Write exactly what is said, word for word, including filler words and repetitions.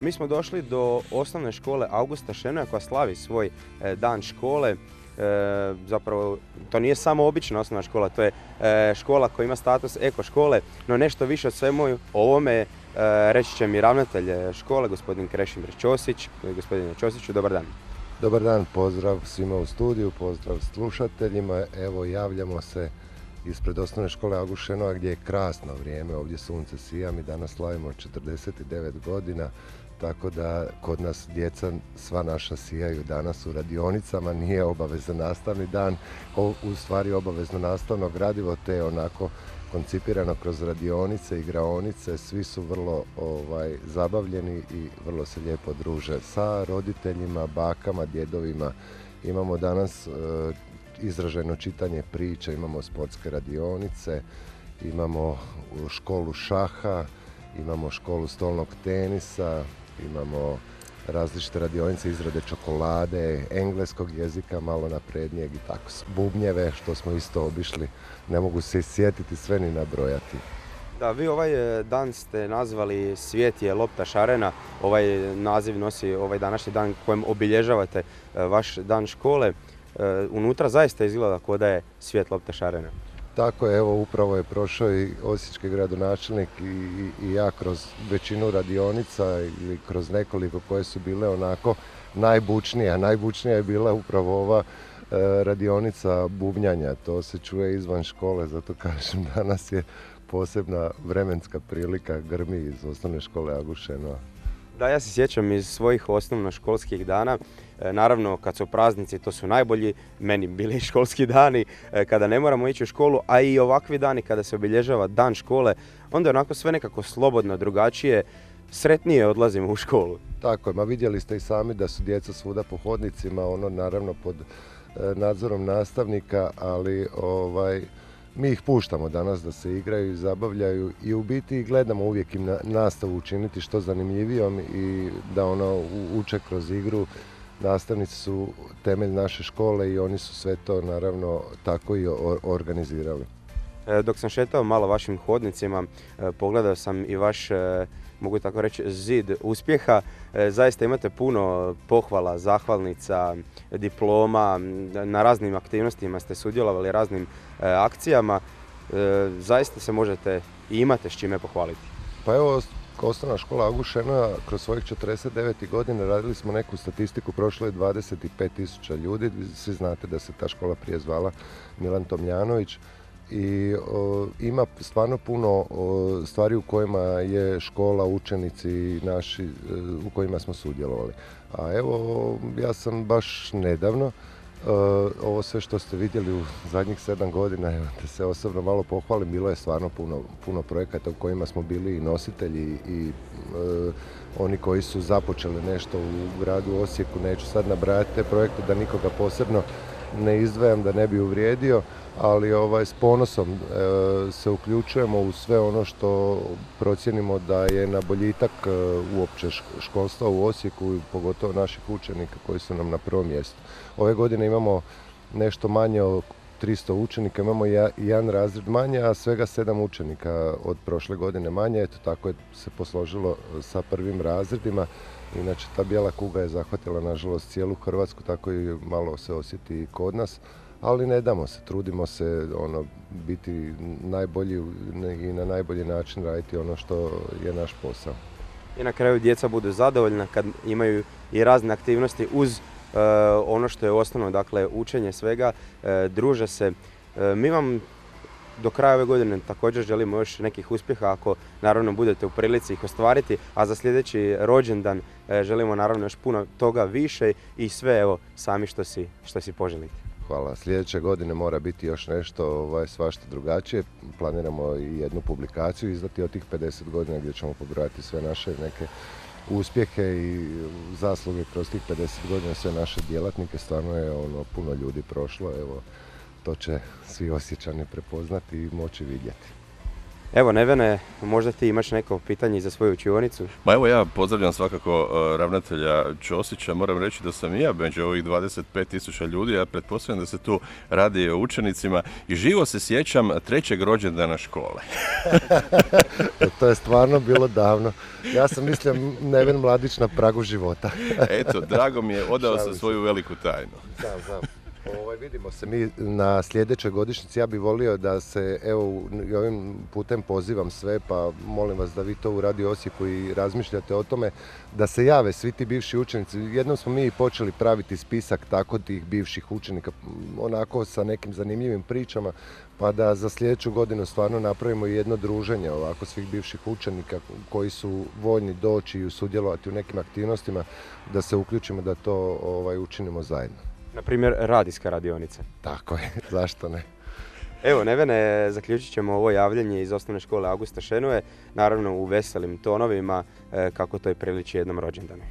Mi smo došli do osnovne škole Augusta Šenoja koja slavi svoj e, dan škole. E, zapravo, to nije samo obična osnovna škola, to je e, škola koja ima status eko škole, no nešto više od svemu ovome e, reći će mi ravnatelj škole, gospodin Krešimir Ćosić. Gospodine Ćosiću, dobar dan. Dobar dan, pozdrav svima u studiju, pozdrav slušateljima. Evo, javljamo se ispred osnovne škole August Šenoa gdje je krasno vrijeme, ovdje sunce sija, mi danas slavimo četrdeset devet godina, tako da kod nas djeca sva naša sijaju danas u radionicama, nije obavezan nastavni dan, u stvari obavezno nastavno gradivo, te onako koncipirano kroz radionice, igraonice, svi su vrlo ovaj, zabavljeni i vrlo se lijepo druže sa roditeljima, bakama, djedovima. Imamo danas e, izraženo čitanje priča, imamo sportske radionice, imamo školu šaha, imamo školu stolnog tenisa, imamo različite radionice izrade čokolade, engleskog jezika, malo naprednijeg i tako, bubnjeve, što smo isto obišli, ne mogu se sjetiti sve ni nabrojati. Da, vi ovaj dan ste nazvali Svijet je lopta šarena, ovaj naziv nosi ovaj današnji dan kojem obilježavate vaš dan škole. Unutra zaista izgleda kao da je svijet lopta šarena. Tako je, evo upravo je prošao i osječki gradonačelnik i, i, i ja kroz većinu radionica ili kroz nekoliko koje su bile onako najbučnije. Najbučnija je bila upravo ova e, radionica bubnjanja, to se čuje izvan škole, zato kažem danas je posebna vremenska prilika, grmi iz osnovne škole August Šenoa. Da, ja se sjećam iz svojih osnovnoškolskih dana, e, naravno kad su praznici to su najbolji, meni bili školski dani e, kada ne moramo ići u školu, a i ovakvi dani kada se obilježava dan škole, onda je onako sve nekako slobodno, drugačije, sretnije odlazimo u školu. Tako je, ma vidjeli ste i sami da su djeca svuda po hodnicima, ono naravno pod e, nadzorom nastavnika, ali ovaj... mi ih puštamo danas da se igraju i zabavljaju i u biti gledamo uvijek im na, nastavu učiniti što zanimljivijom i da ono uče kroz igru. Nastavnici su temelj naše škole i oni su sve to naravno tako i or, organizirali. Dok sam šetao malo vašim hodnicima, pogledao sam i vaš, mogu tako reći, zid uspjeha. Zaista imate puno pohvala, zahvalnica, diploma, na raznim aktivnostima ste sudjelovali, raznim akcijama. Zaista se možete i imate s čime pohvaliti. Pa evo, osnovna škola August Šenoa kroz svojih četrdeset devet godina radili smo neku statistiku, prošlo je dvadeset pet tisuća ljudi, svi znate da se ta škola prije zvala Milan Tomljanović. I o, ima stvarno puno o, stvari u kojima je škola, učenici naši, u kojima smo sudjelovali. A evo, ja sam baš nedavno, o, ovo sve što ste vidjeli u zadnjih sedam godina, evo, da se osobno malo pohvalim, bilo je stvarno puno, puno projekata u kojima smo bili i nositelji i o, oni koji su započeli nešto u gradu Osijeku, neću sad nabrajati te projekte da nikoga posebno ne izdvajam da ne bi uvrijedio, ali ovaj, s ponosom e, se uključujemo u sve ono što procjenimo da je na boljitak e, uopće školstva u Osijeku i pogotovo naših učenika koji su nam na prvom mjestu. Ove godine imamo nešto manje od tristo učenika, imamo ja, jedan razred manje, a svega sedam učenika od prošle godine manje. Eto, tako je se posložilo sa prvim razredima. Inače, ta bijela kuga je zahvatila, nažalost, cijelu Hrvatsku, tako i malo se osjeti i kod nas. Ali ne damo se, trudimo se ono, biti najbolji i na najbolji način raditi ono što je naš posao. I na kraju djeca budu zadovoljna kad imaju i razne aktivnosti uz uh, ono što je osnovno, dakle učenje svega, uh, druže se. Uh, mi vam do kraja ove godine također želimo još nekih uspjeha ako naravno budete u prilici ih ostvariti, a za sljedeći rođendan uh, želimo naravno još puno toga više i sve evo sami što si, što si poželite. Hvala. Sljedeće godine mora biti još nešto ovaj, svašta drugačije. Planiramo i jednu publikaciju izdati od tih pedeset godina gdje ćemo pobrojati sve naše neke uspjehe i zasluge kroz tih pedeset godina, sve naše djelatnike. Stvarno je ono, puno ljudi prošlo. Evo, to će svi Osječani prepoznati i moći vidjeti. Evo Nevene, možda ti imaš neko pitanje za svoju učionicu? Ma evo ja pozdravljam svakako uh, ravnatelja Ćosića, moram reći da sam i ja među ovih dvadeset pet tisuća ljudi, ja pretpostavljam da se tu radi o učenicima i živo se sjećam trećeg rođendana škole. To je stvarno bilo davno. Ja sam mislio Neven mladić na pragu života. Eto, drago mi je, odao sam svoju veliku tajnu. Znam, znam. Ovaj, vidimo se mi na sljedećoj godišnjici. Ja bih volio da se, evo, ovim putem pozivam sve, pa molim vas da vi to u Radio Osijeku i razmišljate o tome, da se jave svi ti bivši učenici. Jednom smo mi počeli praviti spisak tako tih bivših učenika, onako sa nekim zanimljivim pričama, pa da za sljedeću godinu stvarno napravimo jedno druženje ovako svih bivših učenika koji su voljni doći i sudjelovati u nekim aktivnostima, da se uključimo da to ovaj, učinimo zajedno. Na primjer, radijska radionica. Tako je, zašto ne? Evo, Nevene, zaključit ćemo ovo javljanje iz osnovne škole Augusta Šenoe, naravno u veselim tonovima, kako to i priliči jednom rođendanu.